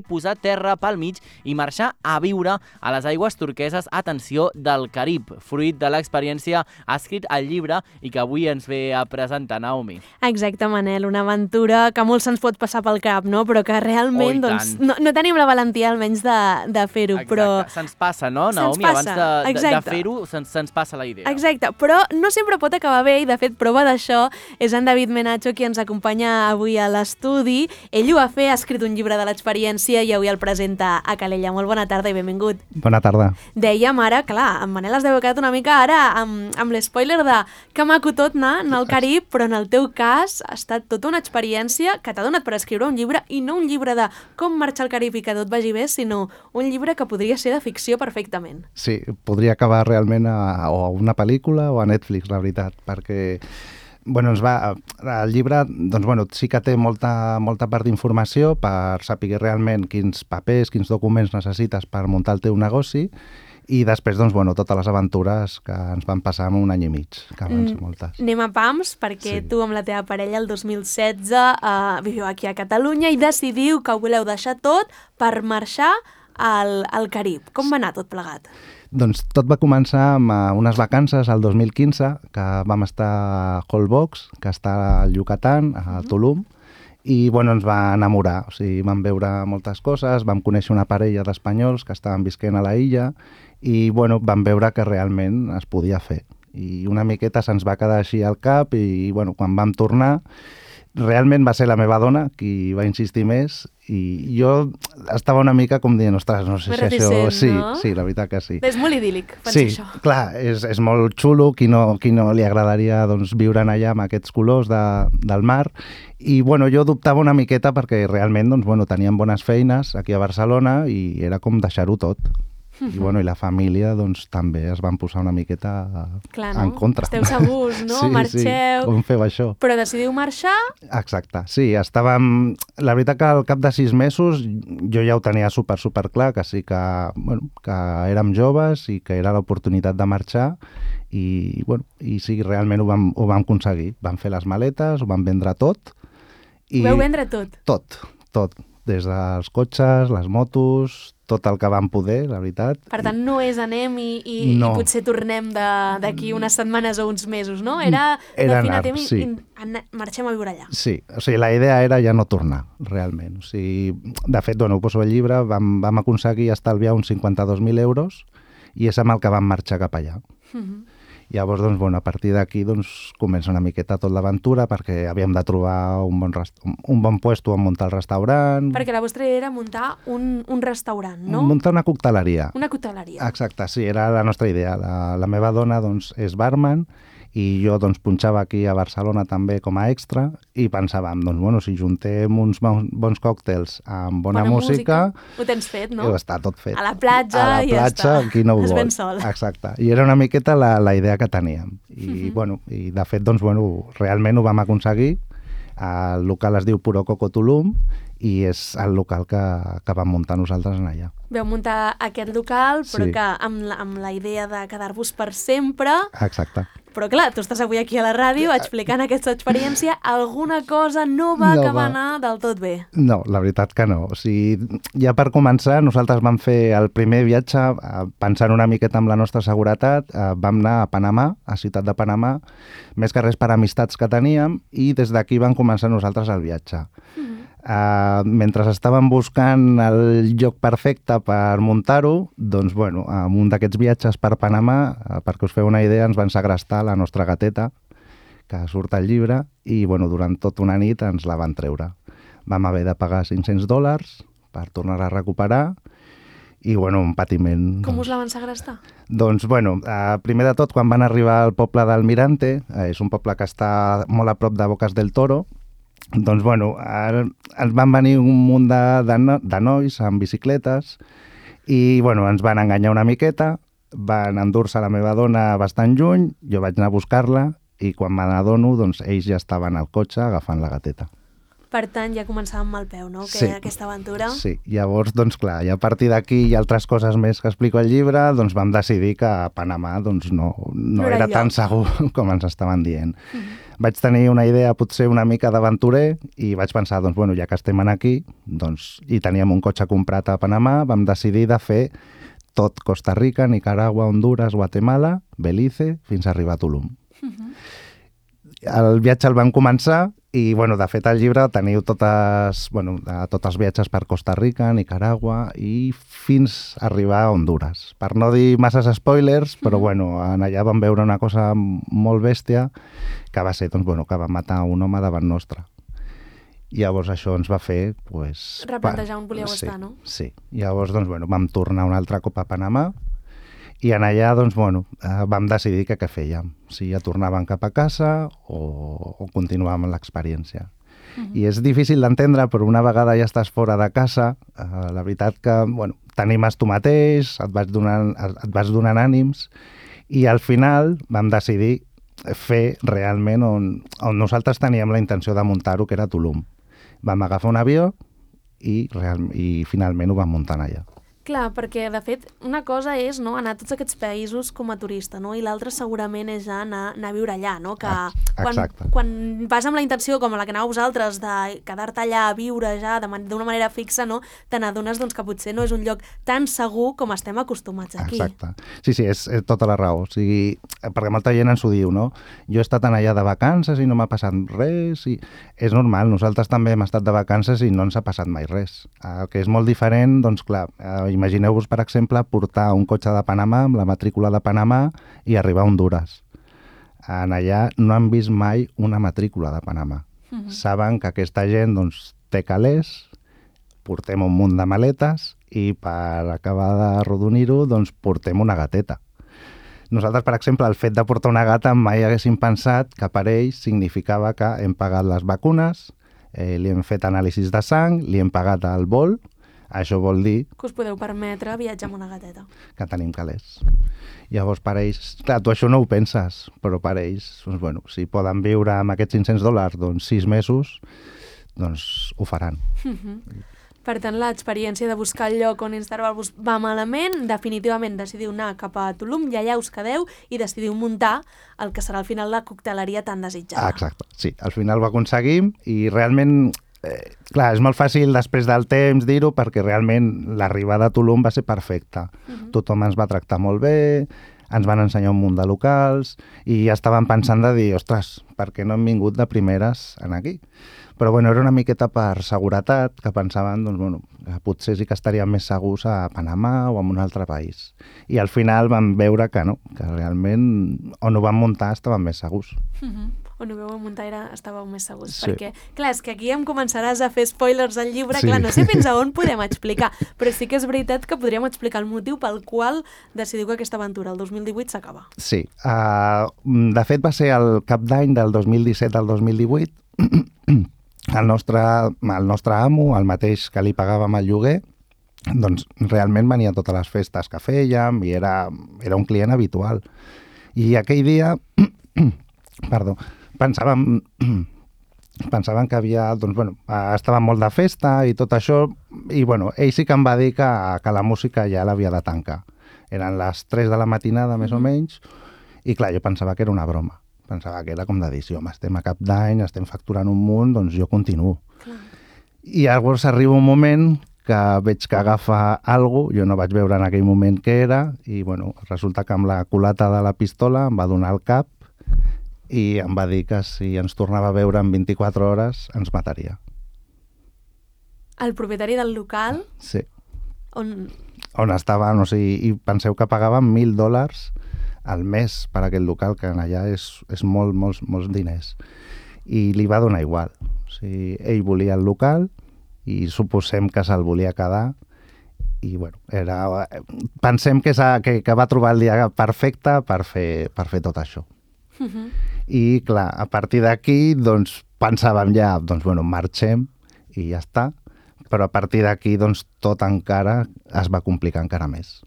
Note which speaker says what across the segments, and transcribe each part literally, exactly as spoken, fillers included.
Speaker 1: posar terra pel mig i marxar a viure a les aigües turqueses, atenció, del Carib. Fruit de l'experiència ha escrit el llibre i que avui ens ve a presentar, Naomi.
Speaker 2: Exacte, Manel, una aventura que molt se'ns pot passar pel cap, no? Però que realment
Speaker 1: oh,
Speaker 2: doncs, no, no tenim la valentia almenys de, de fer-ho.
Speaker 1: Exacte,
Speaker 2: però...
Speaker 1: se'ns passa, no, Naomi?
Speaker 2: Passa.
Speaker 1: Abans de, de, de fer-ho, se'ns, se'ns passa la idea.
Speaker 2: Exacte, però no sempre pot acabar bé i, de fet, prova d'això és en David Menacho qui ens acompanya avui a l'estudi. Ell ho va fer, ha escrit un llibre de l'experiència i avui el presenta a Calella. Molt bona tarda i benvingut.
Speaker 3: Bona tarda.
Speaker 2: Dèiem ara, clar, en Manel es deu haver quedat una mica ara amb, amb l'espoiler de que maco tot anar en el Carib, però en el teu cas ha estat tota una experiència que t'ha donat per escriure un llibre, i no un llibre de com marxar al Carib i que tot vagi bé, sinó un llibre que podria ser de ficció perfectament.
Speaker 3: Sí, podria acabar realment a, o a una pel·lícula o a Netflix, la veritat, perquè bueno, ens va, el llibre doncs, bueno, sí que té molta, molta part d'informació per saber realment quins papers, quins documents necessites per muntar el teu negoci, i després, doncs, bueno, totes les aventures que ens van passar en un any i mig, que van ser moltes.
Speaker 2: Anem a pams, perquè sí. Tu amb la teva parella el dos mil setze uh, viviu aquí a Catalunya i decidiu que ho voleu deixar tot per marxar al, al Carib. Com va anar tot plegat?
Speaker 3: Doncs tot va començar amb unes vacances al dos mil quinze, que vam estar a Holbox, que està al Yucatán, a Tulum, i bueno, ens va enamorar. O sigui, vam veure moltes coses, vam conèixer una parella d'espanyols que estaven visquent a la illa i bueno, vam veure que realment es podia fer. I una miqueta se'ns va quedar així al cap i bueno, quan vam tornar realment va ser la meva dona qui va insistir més i jo estava una mica com dient, ostres, no sé si això... Sí,
Speaker 2: no?
Speaker 3: Sí, la veritat que sí.
Speaker 2: És molt idíl·lic, penso
Speaker 3: sí,
Speaker 2: això.
Speaker 3: Sí, clar, és, és molt xulo, qui no, qui no li agradaria doncs, viure allà amb aquests colors de, del mar. I bueno, jo dubtava una miqueta perquè realment doncs, bueno, teníem bones feines aquí a Barcelona i era com deixar-ho tot. I, bueno, i la família doncs, també es van posar una miqueta
Speaker 2: Clar, no?
Speaker 3: en contra.
Speaker 2: Esteu segurs, no?
Speaker 3: Sí,
Speaker 2: marxeu...
Speaker 3: Sí, com feu això?
Speaker 2: Però decidiu marxar?
Speaker 3: Exacte, sí, estàvem... La veritat que al cap de sis mesos jo ja ho tenia super, super clar, que sí que, bueno, que érem joves i que era l'oportunitat de marxar i, bueno, i sí, realment ho vam, ho vam aconseguir. Vam fer les maletes, ho vam vendre tot.
Speaker 2: I... Ho vau vendre tot?
Speaker 3: Tot, tot. Des dels cotxes, les motos, tot el que vam poder, la veritat.
Speaker 2: Per tant, no és anem i, i,
Speaker 3: no.
Speaker 2: i potser tornem d'aquí unes setmanes o uns mesos, no? Era,
Speaker 3: era
Speaker 2: de
Speaker 3: anar,
Speaker 2: i,
Speaker 3: sí.
Speaker 2: i marxem a viure allà.
Speaker 3: Sí, o sigui, la idea era ja no tornar, realment. O sigui, de fet, bueno, ho poso al llibre, vam, vam aconseguir estalviar uns cinquanta-dos mil euros i és amb el que vam marxar cap allà. Uh-huh. Llavors, doncs, bueno, a partir d'aquí doncs, comença una miqueta tot l'aventura perquè havíem de trobar un bon, rest... un bon puesto on muntar el restaurant.
Speaker 2: Perquè la vostra idea era muntar un, un restaurant, no?
Speaker 3: Muntar una cocteleria.
Speaker 2: Una cocteleria.
Speaker 3: Exacte, sí, era la nostra idea. La, la meva dona doncs, és barman i jo doncs, punxava aquí a Barcelona també com a extra i pensàvem, doncs, bueno, si juntem uns bons còctels amb bona, bona música, música...
Speaker 2: Ho tens fet, no?
Speaker 3: Està tot fet.
Speaker 2: A la platja,
Speaker 3: a la
Speaker 2: i
Speaker 3: platja,
Speaker 2: ja està.
Speaker 3: Qui no ho
Speaker 2: es
Speaker 3: vol.
Speaker 2: ven sol.
Speaker 3: Exacte. I era una miqueta la, la idea que teníem. I, uh-huh. bueno, i de fet, doncs, bueno, realment ho vam aconseguir. El local es diu Puro Coco Tulum i és el local que, que vam muntar nosaltres en allà.
Speaker 2: Veu muntar aquest local, però
Speaker 3: sí.
Speaker 2: que amb la, amb la idea de quedar-vos per sempre.
Speaker 3: Exacte.
Speaker 2: Però clar, tu estàs avui aquí a la ràdio explicant aquesta experiència, alguna cosa no va
Speaker 3: no
Speaker 2: acabar
Speaker 3: va.
Speaker 2: anar del tot bé.
Speaker 3: No, la veritat que no. O sigui, ja per començar, nosaltres vam fer el primer viatge pensant una miqueta amb la nostra seguretat. Vam anar a Panamà, a Ciutat de Panamà, més que res per amistats que teníem, i des d'aquí vam començar nosaltres el viatge. Mm-hmm. Uh, mentre estàvem buscant el lloc perfecte per muntar-ho, doncs, bueno, en un d'aquests viatges per Panamà, uh, perquè us feu una idea, ens van segrestar la nostra gateta, que surt al llibre, i bueno, durant tota una nit ens la van treure. Vam haver de pagar cinc-cents dòlars per tornar-la a recuperar, i bueno, un patiment...
Speaker 2: Com
Speaker 3: doncs,
Speaker 2: us la van segrestar?
Speaker 3: Doncs, bueno, uh, primer de tot, quan van arribar al poble d'Almirante, uh, és un poble que està molt a prop de Bocas del Toro, doncs, bueno, ens van venir un munt de, de, no, de nois amb bicicletes i, bueno, ens van enganyar una miqueta, van endur-se la meva dona bastant lluny, jo vaig anar a buscar-la i quan me n'adono, doncs, ells ja estaven al cotxe agafant la gateta.
Speaker 2: Per tant, ja començàvem amb el peu, no?, que
Speaker 3: sí.
Speaker 2: aquesta aventura.
Speaker 3: Sí, llavors, doncs clar, i a partir d'aquí i altres coses més que explico al llibre, doncs vam decidir que a Panamà doncs, no, no, no era, era tan segur com ens estaven dient. Mm-hmm. vaig tenir una idea potser una mica d'aventurer i vaig pensar, doncs, bueno, ja que estem aquí, doncs, i teníem un cotxe comprat a Panamà, vam decidir de fer tot Costa Rica, Nicaragua, Honduras, Guatemala, Belize, fins a arribar a Tulum. Uh-huh. El viatge el vam començar i, bueno, de fet, al llibre teniu totes, bueno, tots els viatges per Costa Rica, Nicaragua i fins a arribar a Honduras. Per no dir masses spoilers, però, bueno, en allà vam veure una cosa molt bèstia que va ser, doncs, bueno, que va matar un home davant nostre. I llavors això ens va fer, pues...
Speaker 2: replantejar on volíeu
Speaker 3: sí,
Speaker 2: estar, no?
Speaker 3: Sí. Llavors, doncs, bueno, vam tornar un altre cop a Panamà i en allà, doncs, bueno, eh, vam decidir que què fèiem, si ja tornàvem cap a casa o, o continuàvem l'experiència. Uh-huh. I és difícil d'entendre, però una vegada ja estàs fora de casa, eh, la veritat que, bueno, t'animes tu mateix, et vas donant, et vas donant ànims, i al final vam decidir fer realment on, on nosaltres teníem la intenció de muntar-ho, que era Tulum. Vam agafar un avió i, real, i finalment ho vam muntar allà.
Speaker 2: Clar, perquè, de fet, una cosa és, no, anar a tots aquests països com a turista, no? I l'altra segurament és anar, anar a viure allà, no? Que quan, quan vas amb la intenció, com la que anàveu vosaltres, de quedar-te allà a viure ja d'una manera fixa, no? Te n'adones, doncs, que potser no és un lloc tan segur com estem acostumats aquí.
Speaker 3: Exacte. Sí, sí, és, és tota la raó. O sigui, perquè molta gent ens ho diu, no? Jo he estat allà de vacances i no m'ha passat res, i és normal, nosaltres també hem estat de vacances i no ens ha passat mai res. El que és molt diferent, doncs, clar, imagineu-vos, per exemple, portar un cotxe de Panamà amb la matrícula de Panamà i arribar a Honduras. En allà no han vist mai una matrícula de Panamà. Uh-huh. Saben que aquesta gent, doncs, té calés, portem un munt de maletes i per acabar d'arrodonir-ho, doncs, portem una gateta. Nosaltres, per exemple, el fet de portar una gata mai haguéssim pensat que per ells significava que hem pagat les vacunes, eh, li hem fet anàlisis de sang, li hem pagat el vol. Això vol dir...
Speaker 2: que us podeu permetre viatjar amb una gateta.
Speaker 3: Que tenim calés. Llavors, per ells... Clar, tu això no ho penses, però per ells, doncs, bueno, si poden viure amb aquests cinc-cents dòlars, doncs, sis mesos, doncs ho faran.
Speaker 2: Uh-huh. Per tant, l'experiència de buscar el lloc on instal·lar-vos va malament, definitivament decidiu anar cap a Tulum i allà us quedeu i decidiu muntar el que serà al final la cocteleria tan desitjada.
Speaker 3: Ah, exacte, sí. Al final ho aconseguim i realment... Eh, clar, és molt fàcil després del temps dir-ho perquè realment l'arribada a Tulum va ser perfecta. Uh-huh. Tothom ens va tractar molt bé, ens van ensenyar un munt de locals i ja estàvem pensant de dir, ostres, per què no hem vingut de primeres en aquí? Però bueno, era una miqueta per seguretat, que pensaven, doncs, bueno, que potser sí que estaríem més segurs a Panamà o en un altre país. I al final vam veure que no, que realment on ho vam muntar estàvem més segurs.
Speaker 2: Uh-huh. On ho veu muntar era, estàveu més segurs.
Speaker 3: Sí.
Speaker 2: Perquè, clar, és que aquí em començaràs a fer spoilers al llibre,
Speaker 3: sí.
Speaker 2: Clar, no sé fins a on podem explicar, però sí que és veritat que podríem explicar el motiu pel qual decidiu que aquesta aventura, el dos mil divuit, s'acaba.
Speaker 3: Sí. Uh, de fet, va ser el cap d'any del dos mil disset al dos mil divuit. El nostre, el nostre amo, el mateix que li pagàvem el lloguer, doncs realment venia a totes les festes que fèiem i era, era un client habitual. I aquell dia, perdó, pensàvem, pensàvem que havia, doncs, bueno, estava molt de festa i tot això, i bueno, ell sí que em va dir que, que la música ja l'havia de tancar. Eren les tres de la matinada, més o menys, i clar, jo pensava que era una broma. Pensava que era com de dir, sí, home, estem a cap d'any, estem facturant un munt, doncs jo continuo. Clar. I llavors arriba un moment que veig que agafa alguna cosa, jo no vaig veure en aquell moment què era, i bueno, resulta que amb la culata de la pistola em va donar el cap i em va dir que si ens tornava a veure en vint-i-quatre hores ens mataria.
Speaker 2: El propietari del local?
Speaker 3: Sí.
Speaker 2: On...
Speaker 3: On estava, no sé, i penseu que pagaven mil dòlars al mes per aquest local, que allà és, és molt, molts, molts diners. I li va donar igual. O sigui, ell volia el local i suposem que se'l volia quedar i, bueno, era... pensem que, que, que va trobar el dia perfecte per fer, per fer tot això. Uh-huh. I, clar, a partir d'aquí, doncs, pensàvem ja, doncs, bueno, marxem i ja està, però a partir d'aquí, doncs, tot encara es va complicar encara més.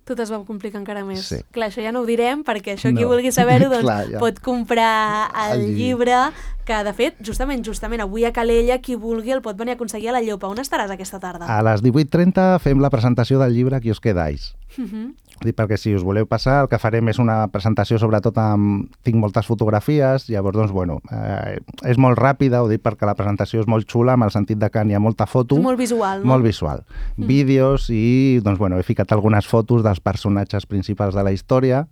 Speaker 2: Tot es va complicar encara més.
Speaker 3: Sí.
Speaker 2: Clar, això ja no ho direm, perquè això qui no. vulgui saber-ho doncs, Clar, ja. pot comprar el, el llibre, que de fet, justament, justament avui a Calella, qui vulgui el pot venir a aconseguir a la Llopa. On estaràs aquesta tarda?
Speaker 3: A les divuit trenta fem la presentació del llibre Qui us quedais.
Speaker 2: Uh-huh.
Speaker 3: Dic, perquè si us voleu passar, el que farem és una presentació, sobretot amb... Tinc moltes fotografies, llavors, doncs, bueno, eh, és molt ràpida, ho dic perquè la presentació és molt xula, amb el sentit de que n'hi ha molta foto.
Speaker 2: És molt visual, no?
Speaker 3: Molt visual. Mm. Vídeos i, doncs, bueno, he ficat algunes fotos dels personatges principals de la història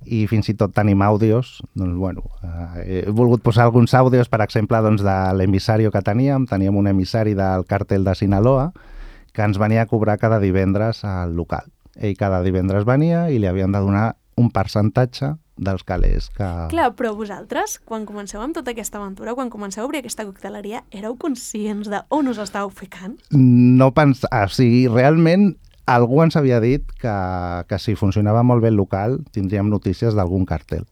Speaker 3: i fins i tot tenim àudios. Doncs, bueno, eh, he volgut posar alguns àudios, per exemple, doncs, de l'emissario que teníem. Teníem un emissari del càrtel de Sinaloa que ens venia a cobrar cada divendres al local. Ell cada divendres venia i li havien de donar un percentatge dels calés que...
Speaker 2: Clar, però vosaltres, quan comenceu amb tota aquesta aventura, quan comenceu a obrir aquesta cocteleria, éreu conscients de on us estàveu ficant?
Speaker 3: No pensar... O sigui, realment algú ens havia dit que, que si funcionava molt bé el local tindríem notícies d'algun cartel.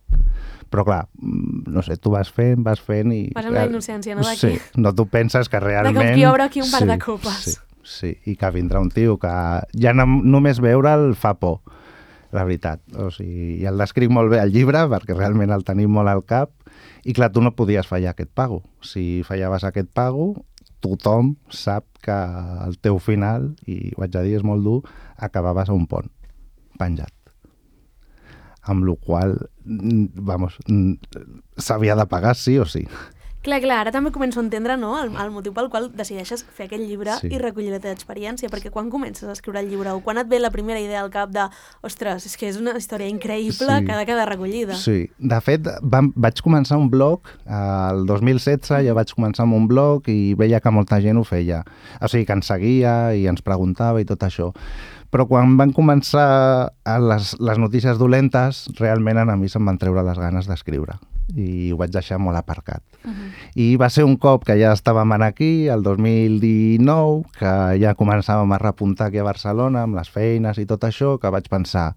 Speaker 3: Però clar, no sé, tu vas fent, vas fent i...
Speaker 2: Vas amb la innocència, no, d'aquí?
Speaker 3: Sí, no tu penses que realment...
Speaker 2: De com qui obre aquí un bar
Speaker 3: sí,
Speaker 2: de copes.
Speaker 3: Sí. Sí, i que vindrà un tio que ja no, només veure'l fa por, la veritat. O sigui, i el descric molt bé al llibre, perquè realment el tenim molt al cap, i clar, tu no podies fallar aquest pago. Si fallaves aquest pago, tothom sap que el teu final, i ho haig de dir, és molt dur, acabaves a un pont, penjat. Amb la qual cosa, vamos, s'havia de pagar sí o sí.
Speaker 2: Clar, clar, ara també començo a entendre, no?, el, el motiu pel qual decideixes fer aquest llibre sí. I recollir la teva experiència, perquè quan comences a escriure el llibre o quan et ve la primera idea al cap de ostres, és que és una història increïble sí. Que ha de quedar recollida.
Speaker 3: Sí, de fet, vam, vaig començar un blog el dos mil setze, ja vaig començar amb un blog i veia que molta gent ho feia. O sigui, que ens seguia i ens preguntava i tot això. Però quan van començar les, les notícies dolentes, realment a mi se'm van treure les ganes d'escriure i ho vaig deixar molt aparcat. Uh-huh. I va ser un cop que ja estàvem aquí, el dos mil dinou, que ja començàvem a repuntar aquí a Barcelona amb les feines i tot això, que vaig pensar,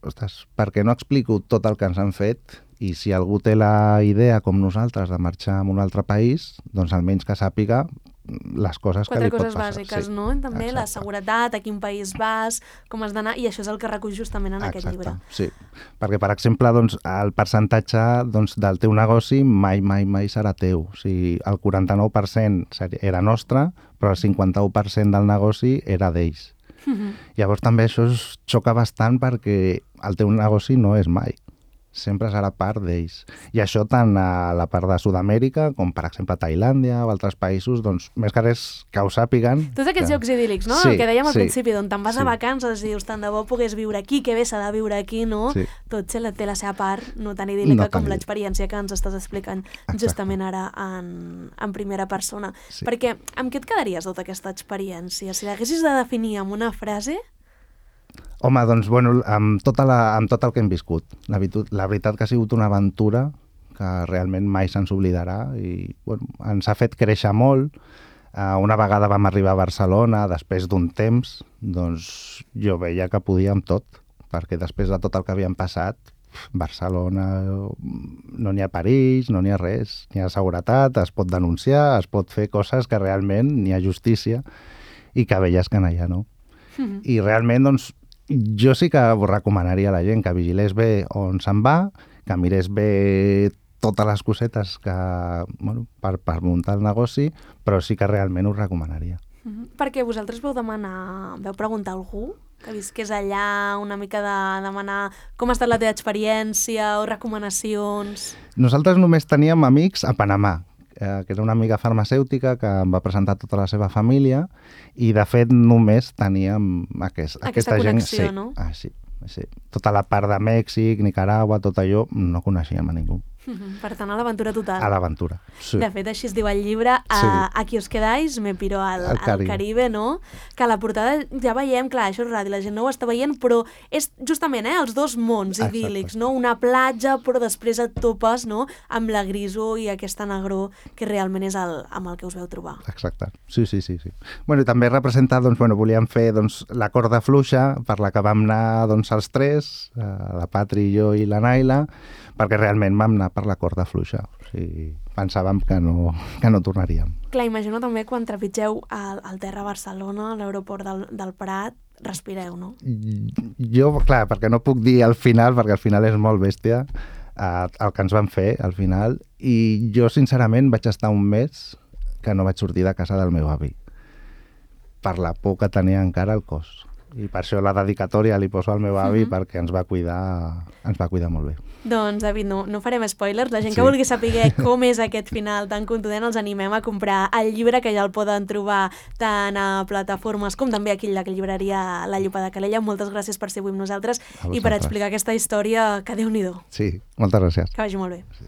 Speaker 3: ostres, per què no explico tot el que ens han fet i si algú té la idea, com nosaltres, de marxar a un altre país, doncs almenys que sàpiga les coses
Speaker 2: Quatre
Speaker 3: que li pot
Speaker 2: coses
Speaker 3: passar.
Speaker 2: bàsiques,
Speaker 3: sí.
Speaker 2: no? També Exacte. La seguretat, a quin país vas, com has d'anar, i això és el que recull justament en
Speaker 3: Exacte.
Speaker 2: Aquest llibre.
Speaker 3: Sí, perquè, per exemple, doncs, el percentatge doncs, del teu negoci mai, mai, mai serà teu. O sigui, el quaranta-nou per cent era nostre, però el cinquanta-u per cent del negoci era d'ells. Uh-huh. Llavors també això es xoca bastant perquè el teu negoci no és mai. Sempre serà part d'ells. I això tant a la part de Sud-amèrica com, per exemple, a Tailàndia o altres països, doncs, més que res que ho sàpiguen.
Speaker 2: Tots aquests
Speaker 3: que...
Speaker 2: llocs idíl·lics, no?
Speaker 3: Sí,
Speaker 2: el que dèiem al
Speaker 3: sí,
Speaker 2: principi, d'on te'n vas
Speaker 3: sí.
Speaker 2: a vacances i dius, tant de bo pogués viure aquí, que bé s'ha de viure aquí, no?
Speaker 3: Sí.
Speaker 2: Tot té la, té la seva part no tan idíl·lica
Speaker 3: no
Speaker 2: com
Speaker 3: tan
Speaker 2: l'experiència que ens estàs explicant
Speaker 3: Exacte.
Speaker 2: Justament ara en, en primera persona.
Speaker 3: Sí.
Speaker 2: Perquè amb què et quedaries tota aquesta experiència? Si l'haguessis de definir amb una frase...
Speaker 3: Home, doncs, bueno, amb, tota la, amb tot el que hem viscut. La, la veritat que ha sigut una aventura que realment mai se'ns oblidarà i bueno, ens ha fet créixer molt. Uh, una vegada vam arribar a Barcelona, després d'un temps, doncs jo veia que podíem tot, perquè després de tot el que havíem passat, Barcelona no n'hi ha perills, no n'hi ha res, n'hi ha seguretat, es pot denunciar, es pot fer coses que realment n'hi ha justícia i que veies que no hi ha, no? Mm-hmm. I realment, doncs, jo sí que ho recomanaria a la gent que vigilés bé on se'n va, que mirés bé totes les cosetes que, bueno, per, per muntar el negoci, però sí que realment ho recomanaria.
Speaker 2: Mm-hmm. Perquè vosaltres vau demanar, vau preguntar a algú que visqués allà, una mica de demanar com ha estat la teva experiència o recomanacions? Nosaltres
Speaker 3: només teníem amics a Panamà, eh, que era una amiga farmacèutica que em va presentar tota la seva família i, de fet, només teníem aquest,
Speaker 2: aquesta, aquesta connexió,
Speaker 3: gent.
Speaker 2: No?
Speaker 3: Sí, ah, sí, sí. Tota la part de Mèxic, Nicaragua, tot allò, no coneixíem a ningú.
Speaker 2: Per tant, a l'aventura total.
Speaker 3: A l'aventura, sí.
Speaker 2: De fet, així es diu el llibre, a,
Speaker 3: sí.
Speaker 2: Aquí us quedáis, me piro al,
Speaker 3: al,
Speaker 2: Caribe. al Caribe, no? Que a la portada ja veiem, clar, això és ràdio, la gent no ho està veient, però és justament eh, els dos mons idíl·lics, no? Una platja, però després et topes, no?, amb la grisor i aquesta negror que realment és el, amb el que us veu trobar.
Speaker 3: Exacte, sí, sí, sí. sí. Bueno, i també representar, doncs, bueno, volíem fer doncs, la corda fluixa per la que vam anar doncs, els tres, eh, la Patri, jo i la Naila, perquè realment vam anar per la corda fluixa. O sigui, pensàvem que no, que no tornaríem.
Speaker 2: Clar, imagino també quan trepitgeu al, al terra a Barcelona, a l'aeroport del, del Prat, respireu, no?
Speaker 3: Jo, clar, perquè no puc dir al final, perquè al final és molt bèstia, eh, el que ens van fer al final, i jo, sincerament, vaig estar un mes que no vaig sortir de casa del meu avi, per la por que tenia encara al cos. I per això la dedicatòria li poso al meu avi, uh -huh. perquè ens va cuidar, ens va cuidar molt bé.
Speaker 2: Doncs, David, no, no farem spoilers. La gent
Speaker 3: Sí.
Speaker 2: que vulgui saber com és aquest final tan contundent, els animem a comprar el llibre, que ja el poden trobar tant a plataformes com també aquí a la llibreria La Llupa de Calella. Moltes gràcies per ser avui amb nosaltres
Speaker 3: A
Speaker 2: i per
Speaker 3: vosaltres.
Speaker 2: explicar aquesta història que Déu-n'hi-do.
Speaker 3: Sí, moltes gràcies.
Speaker 2: Que vagi molt bé.
Speaker 3: Sí.